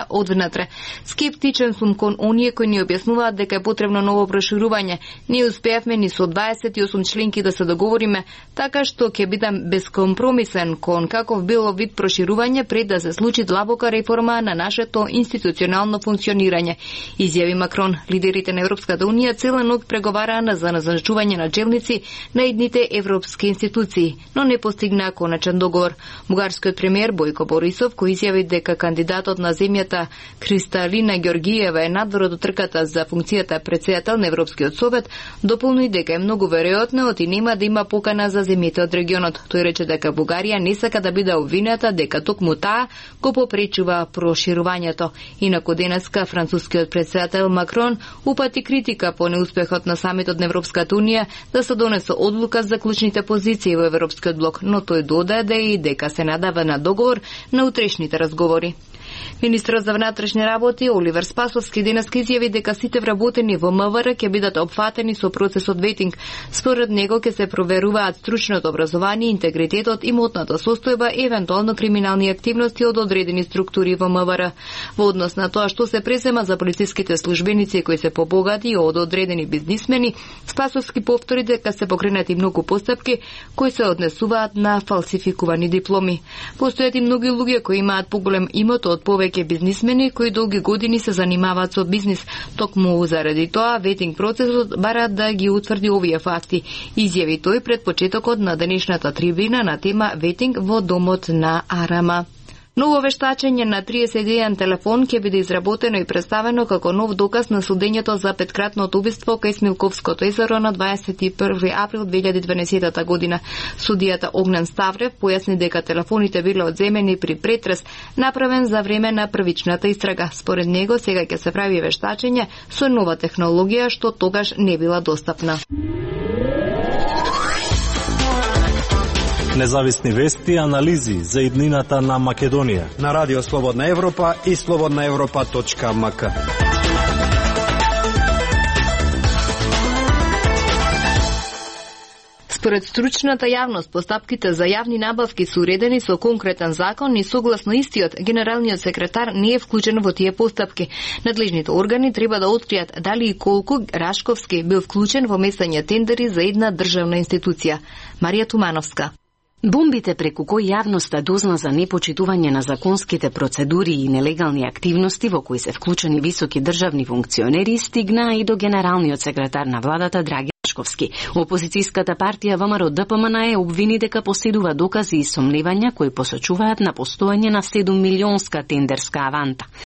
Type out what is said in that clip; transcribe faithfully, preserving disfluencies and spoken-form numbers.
од внатре. Скептичен сум кон оние кои ни објаснуваат дека е потребно ново проширување. Не успеавме ни со дваесет и осум членки да се договориме, така што ќе бидам безкомпромисен кон каков било вид проширување пред да се случи длабока реформа на нашето институционално функционирање. Изјави Макрон. Лидерите на Европската унија цела ног преговараа за назначување на челници на едните европски институции, но не постигнаа конечен договор. Бугарскиот премиер Бојко Борисов, кој изјави дека кандидатот на земјата Кристалина Ѓоргиева е надвор од трката за функцијата претседател на Европскиот совет, дополни дека е многу веројатно оти нема да има покана за земјите од регионот. Тој рече дека Бугарија не сака да биде обвинета дека токму таа го попречува проширувањето. Инаку денеска францускиот претседател Макрон упати критика по неуспехот на самитот на Европската унија да се донесе одлука за клучните позиции во Европскиот блок, но тој додаде и дека се надава на договор на утрешните разговори. Министерот за внатрешни работи Оливер Спасовски денеска изјави дека сите вработени во МВР ќе бидат опфатени со процесот ветинг. Според него ќе се проверуваат стручното образование, интегритетот, имотната состојба и евентуално криминални активности од одредени структури во МВР. Во однос на тоа што се презема за полициските службеници кои се побогати од одредени бизнисмени, Спасовски повтори дека се покренати многу постапки кои се однесуваат на фалсификувани дипломи. Постојат и многу луѓе кои имаат поголем имот од повеќе бизнисмени кои долги години се занимаваат со бизнис. Токму заради тоа ветинг процесот бара да ги утврди овие факти, изјави тој пред почетокот на денешната трибина на тема ветинг во домот на Арама. Ново вештачење на триесет и еден телефон ќе биде изработено и представено како нов доказ на судењето за петкратното убиство кај Смилковското езеро на дваесет и први април две илјади и дванаесетта година. Судијата Огнен Ставрев појасни дека телефоните биле одземени при претрес направен за време на првичната истрага. Според него сега ќе се прави вештачење со нова технологија што тогаш не била достапна. Независни вести и анализи за иднината на Македонија на Радио Слободна Европа и слободна европа точка ем ка. Според стручната јавност, постапките за јавни набавки се уредени со конкретен закон и согласно истиот, генералниот секретар не е вклучен во тие постапки. Надлежните органи треба да откријат дали и колку Рашковски бил вклучен во месање тендери за една државна институција. Марија Тумановска. Бомбите преку кои јавноста дозна за непочитување на законските процедури и нелегални активности во кои се вклучени високи државни функционери стигнаа и до генералниот секретар на владата Драги Рашковски. Опозицијската партија ВМРО Д П М Н е обвини дека поседува докази и сомневања кои посочуваат на постоење на седум милионска тендерска аванта.